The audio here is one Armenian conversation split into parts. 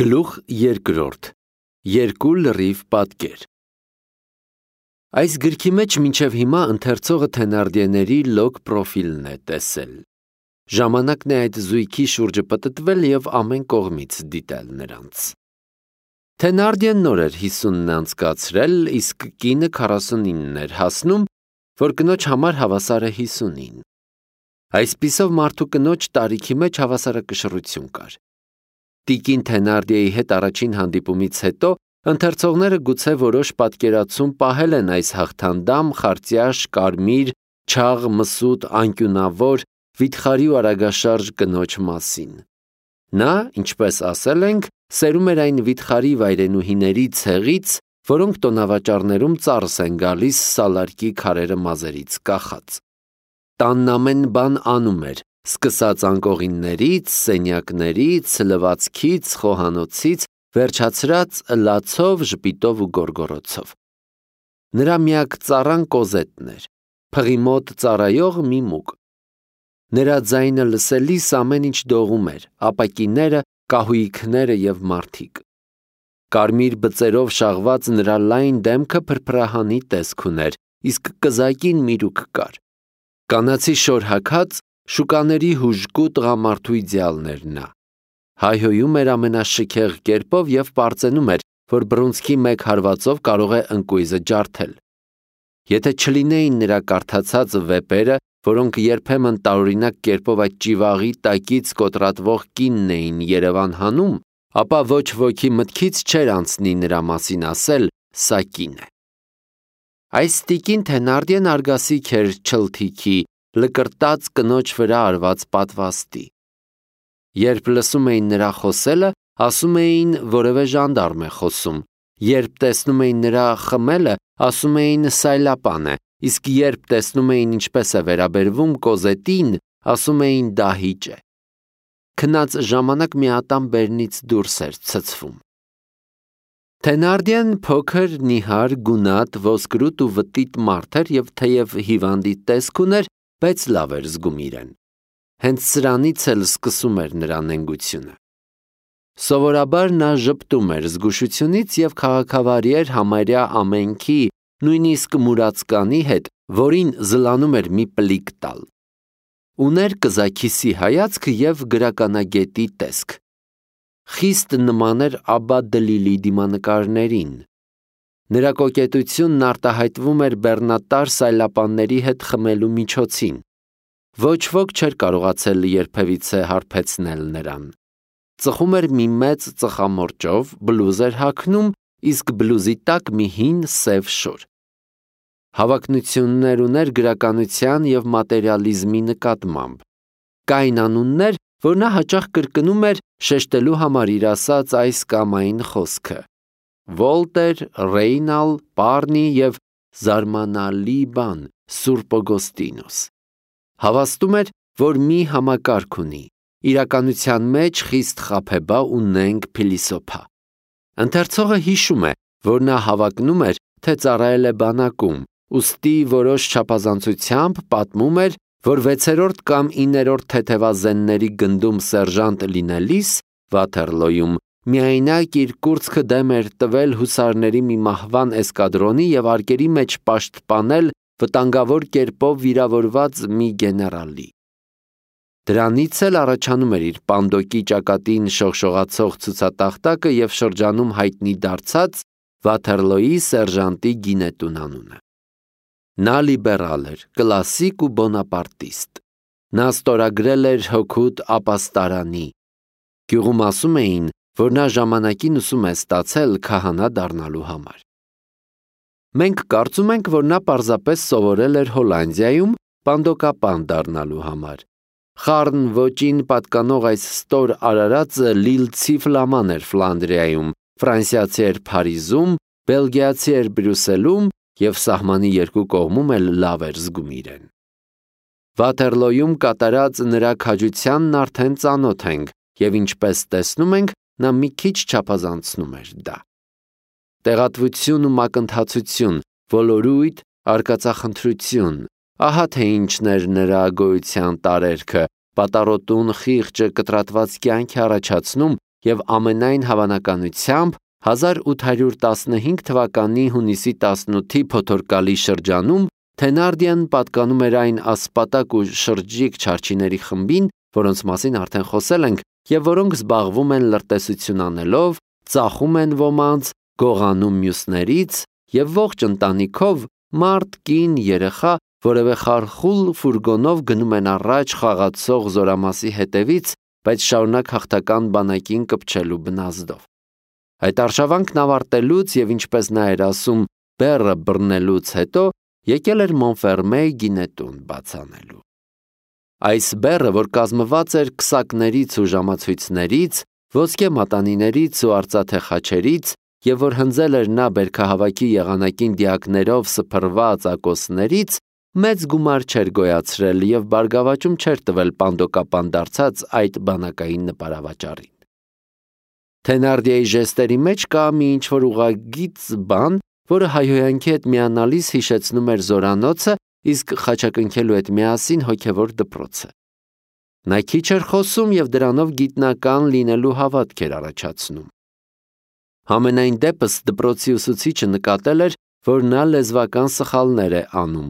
Գլուխ երկրորդ. Երկու լրիվ պատկեր։ Այս գրքի մեջ մինչև հիմա ընթերցողը Թենարդիեների լոկ պրոֆիլն է տեսել։ Ժամանակն է այդ զույգի շուրջը պտտվել և ամեն կողմից դիտել նրանց։ Թենարդիեն նոր էր 50-ն անցկացրել, իսկ կինը 49 էր հասնում, որ կնոջ համար հավասար է 50-ին։ Այսպիսով մարդու կնոջ տարիքի մեջ հավասարակշռություն կար։ Տիկին Թենարդիեի հետ առաջին հանդիպումից հետո ընթերցողները գուցե որոշ պատկերացում պահել են այս հաղթանդամ, խարտյաշ, կարմիր, չաղ, մսուտ, անկյունավոր, վիթխարի ու արագաշարժ կնոջ մասին։ Նա, ինչպես ասել ենք, սերում էր այն վիթխարի վայրենուհիների ցեղից, որոնք տոնավաճառներում ծառս են գալիս սալարկի քարերը մազերից կախած։ Տանն ամեն բան անում էր, սկսած անկողիններից, սենյակներից, լվացքից, խոհանոցից, վերջացրած լացով, ժպիտով ու գոռգոռոցով։ Նրա միակ ծառան Կոզետն էր, փղի մոտ ծառայող մի մուկ։ Նրա ձայնը լսելիս ամեն ինչ դողում էր, ապակիները, կահույքները և մարդիկ։ Կարմիր բծերով շաղված նրա լայն դեմքը փրփրահանի տեսք ուներ, իսկ կզակին միրուք կար։ Կանացի շոր հագած, շուկաների հուժկու տղամարդու իդեալն էր նա։ Հայհոյում էր ամենաշքեղ կերպով և պարծենում էր, որ բռունցքի մեկ հարվածով կարող է ընկույզը ջարդել։ Եթե չլինեին նրա կարդացած վեպերը, որոնք երբեմն տարօրինակ կերպով այդ ճիվաղի տակից կոտրատվող կինն էին Երևան հանում, ապա ոչ ոքի մտքից չէր անցնի նրա մասին ասել՝ սա կին է։ Այս տիկին Թենարդիեն արգասիք էր չլթիքի, լկրտած կնոջ վրա արված պատվաստի։ Երբ լսում էին նրա խոսելը, ասում էին որևէ ժանդարմ է խոսում, երբ տեսնում էին նրա խմելը, ասում էին սայլապան է, իսկ երբ տեսնում էին ինչպես է վերաբերվում Կոզետին, ասում էին դահիճ է։ Քնած ժամանակ մի ատամ բերնից դուրս էր ցցվում։ Թենարդիեն փոքր, նիհար, գունատ, ոսկրուտ ու վտիտ մարդ էր և թեև հիվանդի տեսք ուներ, բայց լավ էր զգում իրեն։ Հենց սրանից էլ սկսում էր նրա նենգությունը։ Սովորաբար նա ժպտում էր զգուշությունից և քաղաքավարի էր համարյա ամենքի, նույնիսկ մուրացկանի հետ, որին զլանում էր մի պլիկ տալ։ Ուներ կզաքիսի հայացք և գրականագետի տեսք։ Խիստ նման էր Աբբա Դլիլի դիմանկարներին։ Նրա կոկետությունն արտահայտվում էր բեռնատար սայլապանների հետ խմելու միջոցին։ Ոչ ոք չէր կարողացել երբևիցե հարբեցնել նրան։ Ծխում էր մի մեծ ծխամորճով, բլուզ էր հագնում, իսկ բլուզի տակ մի հին սև շոր։ Հավակնություններ ուներ գրականության և մատերիալիզմի նկատմամբ։ Կային անուններ, որ նա հաճախ կրկնում էր շեշտելու համար իր ասած այս կամ այն խոսքը։ Վոլտեր, Ռեյնալ, Պարնի և զարմանալի բան Սուրբ Օգոստինոս։ Հավաստում էր, որ մի համակարգ ունի, իրականության մեջ խիստ խաբեբա ու նենգ փիլիսոփա։ Ընթերցողը հիշում է, որ նա հավակնում էր, թե ծառայել է բանակում, ուստի որոշ չափազանցությամբ պատմում էր, որ 6-րդ կամ 9-րդ թեթևազենների գնդում սերժանտ լինելիս Վաթերլոյում միայնակ իր կուրծքը դեմ էր տվել հուսարների մի մահվան էսկադրոնի և արկերի մեջ պաշտպանել վտանգավոր կերպով վիրավորված մի գեներալի։ Դրանից էլ առաջանում էր իր պանդոկի ճակատին շողշողացող ցուցատախտակը և շրջանում հայտնի դարձած Վաթերլոյի սերժանտի գինետուն անունը։ Նա լիբերալ էր, կլասիկ ու բոնապարտիստ։ Նա ստորագրել էր հօգուտ ապաստարանի։ Գյուղում ասում էին, որ նա ժամանակին ուսում է ստացել քահանա դառնալու համար։ Մենք կարծում ենք, որ նա պարզապես սովորել էր Հոլանդիայում պանդոկապան դառնալու համար։ Խառն ոճին պատկանող այս ստոր արարածը լիլցի ֆլաման էր Ֆլանդրիայում, ֆրանսիացի էր Փարիզում, բելգիացի էր Բրյուսելում և սահմանի երկու կողմում էլ լավ էր զգում իրեն։ Վաթերլոյում կատարած նրա քաջությանն արդեն ծանոթ ենք և ինչպես տեսնում ենք, նա մի քիչ չափազանցնում էր դա։ Տեղատվություն ու մակընթացություն, ոլորույթ, արկածախնդրություն, ահա թե ինչն էր նրա գոյության տարերքը, պատառոտուն խիղճը կտրատված կյանք է առաջացնում և ամենայն հավանականությամբ 1815 թվականի հունիսի 18-ի փոթորկալի շրջանում Թենարդիան պատկանում էր այն ասպատակ ու շրջիկ չարչիների խմբին, որոնց մասին արդեն խոսել ենք, և որոնք զբաղվում են լրտեսություն անելով, ծախում են ոմանց, գողանում մյուսներից և ողջ ընտանիքով մարդ, կին, երեխա որևէ խարխուլ ֆուրգոնով գնում են առաջ խաղացող զորամասի հետևից, բայց շարունակ հաղթական բանակին կպչելու բնազդով։ Այդ արշավանքն ավարտելուց և ինչպես նա էր ասում, բեռը բռնելուց հետո եկել էր Մոնֆերմեի գինետուն բաց անելու։ Այս բեռը, որ կազմված էր քսակներից ու ժամացույցներից, ոսկե մատանիներից ու արծաթե խաչերից, և որ հնձել էր նա բերքահավաքի եղանակին դիակներով սփռված ակոսներից, մեծ գումար չէր գոյացրել և բարգավաճում չէր տվել պանդոկապան դարձած այդ բանակային նպարավաճառին։ Թենարդիեի ժեստերի մեջ կա մի ինչ-որ ուղղագիծ բան, որը հայհոյանքի հետ միանալիս հիշեցնում էր զորանոցը, իսկ խաչակնքելու հետ միասին հոգևոր դպրոցը։ Նա քիչ էր խոսում և դրանով գիտնական լինելու հավատք էր առաջացնում։ Համենայն դեպս դպրոցի ուսուցիչը նկատել էր, որ նա լեզվական սխալներ է անում։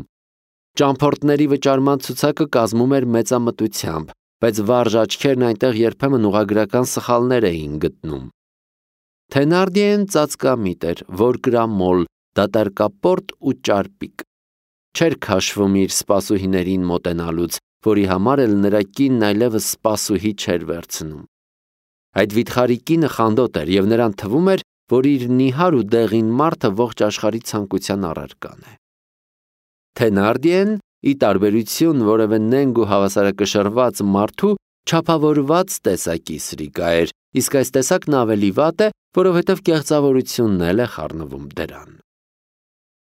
Ճամփորդների վճարման ցուցակը կազմում էր մեծամտությամբ, բայց վարժ աչքերն այնտեղ երբեմն ուղղագրական սխալներ էին գտնում։ Թենարդիեն ծածկամիտ էր, որկրամոլ, դատարկապորտ ու ճարպիկ։ Չէր քաշվում իր սպասուհիներին մոտենալուց, որի համար էլ նրա կինն այլևս սպասուհի չէր վերցնում։ Այդ վիթխարի կինը խանդոտ էր և նրան թվում էր, որ իր նիհար ու դեղին մարդը ողջ աշխարհի ցանկության առարկան է։ Թենարդիեն, ի տարբերություն որևէ նենգ ու հավասարակշռված մարդու, չափավորված տեսակի սրիկա էր, իսկ այս տեսակն ավելի վատ է, որովհետև կեղծավորությունն էլ է խառնվում դրան։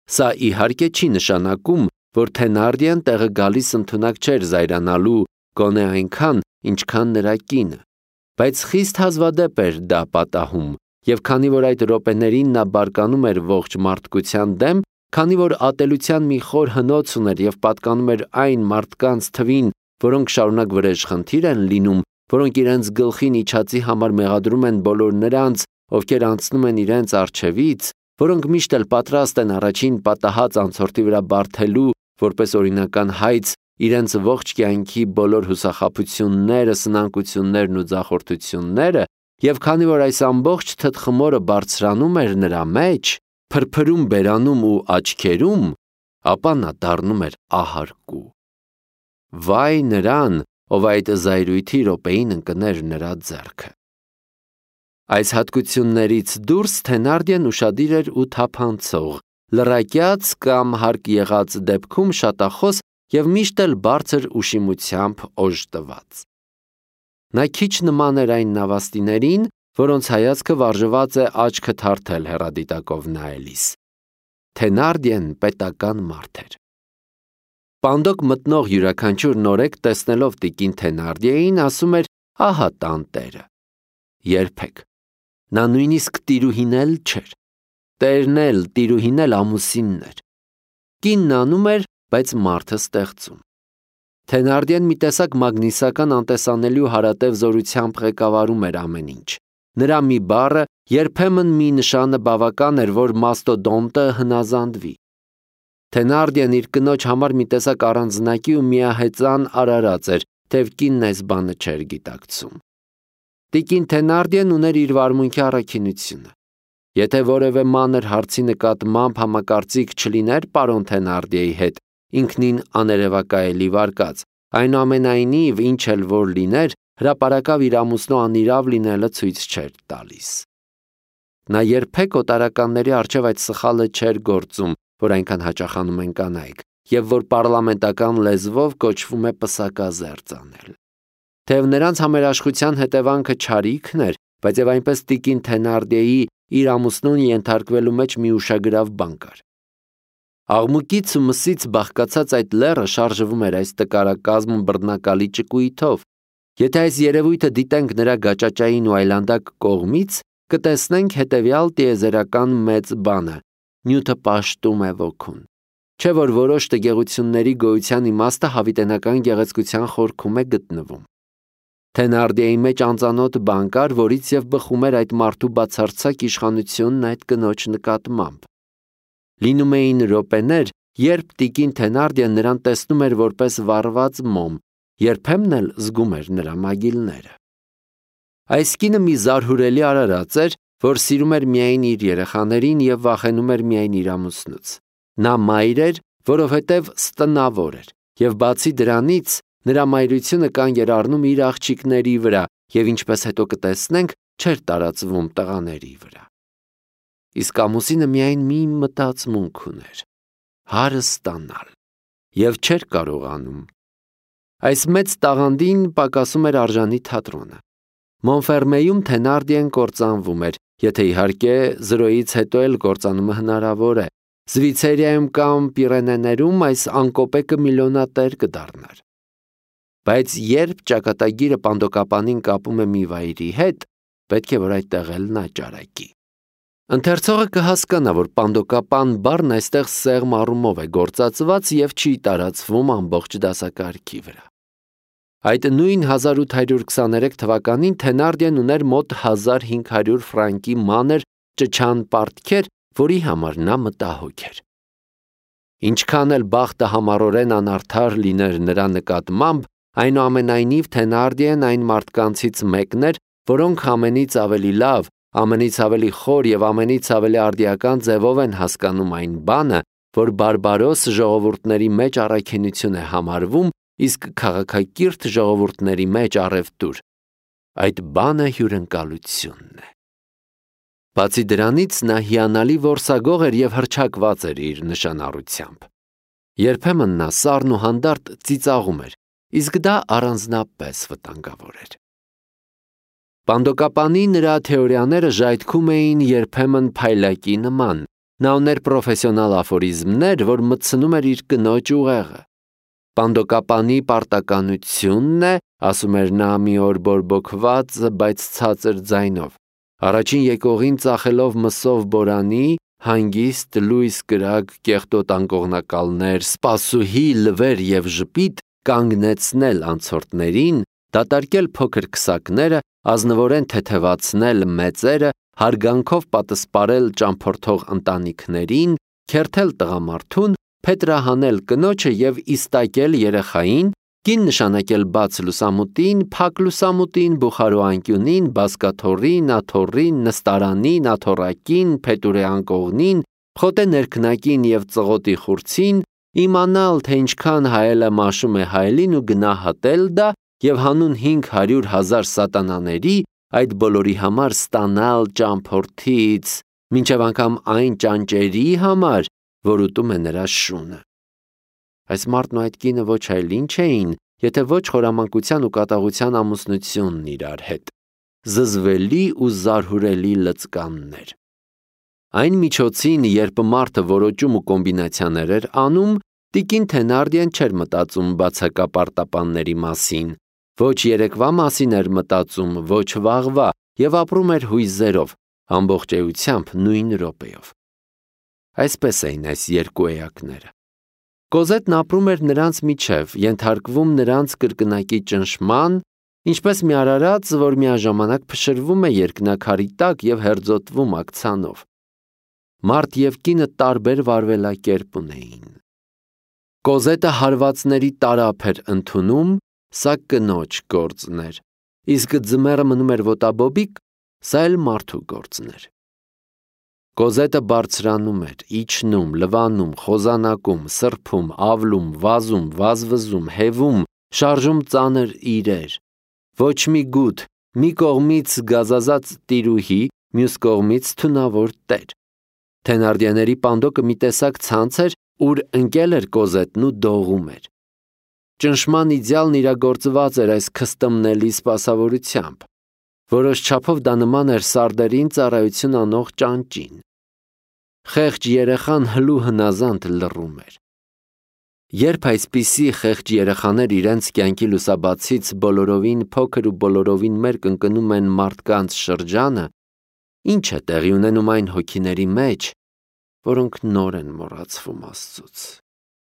Սա իհարկե չի նշանակում, որ Թենարդիեն տեղը գալիս ընդունակ չէր զայրանալու գոնե այնքան, ինչքան նրա կինը, բայց խիստ հազվադեպ էր դա պատահում, և քանի որ այդ րոպեներին նա բարկանում էր ողջ մարդկության դեմ, քանի որ ատելության մի խոր հնոց ուներ և պատկանում էր այն մարդկանց թվին, որոնք շարունակ վրեժխնդիր են լինում, որոնք իրենց գլխին իջածի համար մեղադրում են բոլոր նրանց, ովքեր անցնում են իրենց առջևից, որոնք միշտ էլ պատրաստ են առաջին պատահած անցորդի վրա բարդելու, որպես օրինական հայց, իրենց ողջ կյանքի բոլոր հուսախաբությունները, սնանկություններն ու ձախորդությունները, և քանի որ այս ամբողջ թտխմորը բարձրանում էր նրա մեջ, փրփրում բերանում ու աչքերում, ապա նա դառնում էր ահարկու։ Վայ նրան, ով այդ զայրույթի րոպեին ընկներ նրա ձեռքը։ Այս հատկություններից դուրս Թենարդիեն ուշադիր էր ու թափանցող, լռակյաց կամ հարկ եղած դեպքում շատախոս և միշտ էլ բարձր ուշիմությամբ օժտված։ Նա քիչ նման էր այն նավաստիներին, որոնց հայացքը վարժված է աչքը թարթել հեռադիտակով նայելիս։ Թենարդիեն պետական մարդ էր։ Պանդոկ մտնող յուրաքանչյուր նորեկ տեսնելով տիկին Թենարդիեին ասում էր. «Ահա տան տերը»։ Երբեք։ Նա նույնիսկ տիրուհին էլ չէր։ Տերն էլ, տիրուհին էլ ամուսինն էր։ Կինն անում էր, բայց մարդը ստեղծում։ Թենարդիեն մի տեսակ մագնիսական անտեսանելի ու հարատև զորությամբ ղեկավարում էր ամեն ինչ։ Նրա մի բառը, երբեմն մի նշանը բավական էր, որ մաստոդոնտը հնազանդվի։ Թենարդիեն իր կնոջ համար մի տեսակ առանձնակի ու միահեծան արարած էր, թեև կինն այս բանը չէր գիտակցում։ Տիկին Թենարդիեն ուներ իր վարմունքի առաքինությունը։ Եթե որևէ մանր հարցի նկատմամբ համակարծիք չլիներ պարոն Թենարդիեի հետ, ինքնին աներևակայելի վարկած, այնուամենայնիվ ինչ էլ որ լիներ, հրապարակավ իր ամուսնու անիրավ լինելը ցույց չէր տալիս։ Նա երբեք օտարականների առջև այդ սխալը չէր գործում, որ այնքան հաճախանում են կանայք, և որ պարլամենտական լեզվով կոչվում է պսակազերծ անել։ Թեև նրանց համերաշխության հետևանքը չարիքն էր, բայց եւ այնպես տիկին Թենարդիեի իր ամուսնուն ենթարկվելու մեջ մի ուշագրավ բան կար։ Աղմուկից ու մսից բաղկացած այդ լեռը շարժվում էր այս տկարակազմ բռնակալի ճկույթով։ Եթե այս երևույթը դիտենք նրա գաճաճային ու այլանդակ կողմից, կտեսնենք հետևյալ տիեզերական մեծ բանը. նյութը պաշտում է ոգուն։ Չէ որ որոշ տգեղությունների գոյության իմաստը հավիտենական գեղեցկության խորքում է գտնվում։ Թենարդիայի մեջ անծանոթ բան կար, որից եւ բխում էր այդ մարդու բացարձակ իշխանությունն այդ կնոջ նկատմամբ։ Լինում էին րոպեներ, երբ տիկին Թենարդիան նրան տեսնում էր որպես վառված մոմ, երբեմն էլ զգում էր նրա մագիլները։ Այս կինը մի զարհուրելի արարած էր, որ սիրում էր միայն իր երեխաներին եւ վախենում էր միայն իր ամուսնուց։ Նա մայր էր, որովհետև ստնավոր էր, եւ բացի դրանից նրա մայրությունը կանգ էր առնում իր աղջիկների վրա եւ ինչպես հետո կտեսնենք, չէր տարածվում տղաների վրա։ Իսկ ամուսինը միայն մի մտածմունք ուներ՝ հարը ստանալ, եւ չէր կարողանում։ Այս մեծ տաղանդին պակասում էր արժանի թատրոնը։ Մոնֆերմեյում Թենարդիեն կործանվում էր, եթե իհարկե զրոյից հետո էլ կործանումը հնարավոր է։ Զվիցերիայում կամ Պիրենեներում այս անկոպեկը միլիոնատեր կդառնար։ Բայց երբ ճակատագիրը պանդոկապանին կապում է մի վայրի հետ, պետք է որ այդտեղ էլ նա ճարակի։ Ընթերցողը կհասկանա, որ պանդոկապան բառն այստեղ սեղմ առումով է գործածված եւ չի տարածվում ամբողջ դասակարգի վրա։ Այդ նույն 1823 թվականին Թենարդիեն ուներ մոտ 1500 ֆրանկի մանր ճչան պարտքեր, որի համար նա մտահոգ էր։ Ինչքան էլ բախտը համառորեն անարդար լիներ նրա նկատմամբ, այնուամենայնիվ Թենարդիեն այն մարդկանցից մեկն էր, որոնք ամենից ավելի լավ, ամենից ավելի խոր եւ ամենից ավելի արդիական ձևով են հասկանում այն բանը, որ բարբարոս ժողովուրդների մեջ առաքինություն է համարվում, իսկ քաղաքակիրթ ժողովուրդների մեջ առևտուր։ Այդ բանը հյուրընկալությունն է։ Բացի դրանից նա հիանալի որսագող էր եւ հռչակված էր իր նշանառությամբ։ Երբեմն նա սառն ու հանդարտ ծիծաղում էր, իսկ դա առանձնապես վտանգավոր էր։ Պանդոկապանի նրա թեորիաները ժայթքում էին երբեմն փայլակի նման։ Նա ուներ պրոֆեսիոնալ աֆորիզմներ, որ մտցնում էր իր կնոջ ուղեղը։ Պանդոկապանի պարտականությունն է, ասում էր նա մի օր բորբոքված, բայց ցածր ձայնով։ Առաջին եկողին ծախելով մսով բորանի, հանգիստ, լույս կրակ, կեղտոտ անկողնակալներ, սպասուհի, լվեր եւ ժպիտ կանգնեցնել անցորդներին, դատարկել փոքր քսակները, ազնվորեն թեթևացնել մեծերը, հարգանքով պատսպարել ճամփորդող ընտանիքներին, քերթել տղամարդուն, փետրահանել կնոջը եւ իստակել երեխային, կին նշանակել բաց լուսամուտին, փակ լուսամուտին, բուխարու անկյունին, բազկաթոռին, աթոռին, նստարանին, աթոռակին, փետուրե անկողնին, խոտե ներքնակին եւ ծղոտի խուրցին, իմանալ, թե ինչքան հայելը մաշում է հայելին ու գնահատել դա եւ հանուն 500,000 սատանաների այդ բոլորի համար ստանալ ճամփորդից, մինչև անգամ այն ճանճերի համար, որ ուտում է նրա շունը։ Այս մարդն ու այդ կինը ոչ այլ ինչ էին, եթե ոչ խորամանկության ու կատաղության ամուսնությունն իրար հետ, զզվելի ու զարհուրելի լծկաններ։ Այն միջոցին, երբ մարդը որոճում ու կոմբինացիաներ էր անում, տիկին Թենարդիեն չէր մտածում բացակապարտապանների մասին, ոչ երեկվա մասին էր մտածում, ոչ վաղվա, եւ ապրում էր հույզերով, ամբողջ էությամբ նույն րոպեով։ Այսպես էին այս երկու էակները։ Կոզետն ապրում էր նրանց միջև, ենթարկվում նրանց կրկնակի ճնշման, ինչպես մի արարած, որ միաժամանակ փշրվում է երկնաքարի տակ եւ հերձոտվում ակցանով։ Մարդ եւ կինը տարբեր վարվելակերպ ունեին։ Կոզետը հարվածների տարափ էր ընդունում, սա կնոջ գործն էր, իսկ ձմեռը մնում էր ոտաբոբիկ, սա էլ մարդու գործն էր։ Կոզետը բարձրանում էր, իջնում, լվանում, խոզանակում, սրբում, ավլում, վազում, վազվզում, հևում, շարժում ծանր իրեր։ Ոչ մի գութ, մի կողմից գազազած տիրուհի, մյուս կողմից թունավոր տեր։ Թենարդիաների պանդոկը մի տեսակ ցանց էր, ուր ընկել էր Կոզետն ու դողում էր։ Ճնշման իդեալն իրագործված էր այս քստմնելի սպասավորությամբ։ Որոշ չափով դա նման էր սարդերին ծառայություն անող ճանճին։ Խեղճ երեխան հլու հնազանդ լռում էր։ Երբ այսպիսի խեղճ երեխաներ իրենց կյանքի լուսաբացից բոլորովին փոքր ու բոլորովին մեր կընկնում են մարդկանց շրջանը, ինչ է տեղի ունենում այն հոգիների մեջ, որոնք նոր են մոռացվում Աստծուց։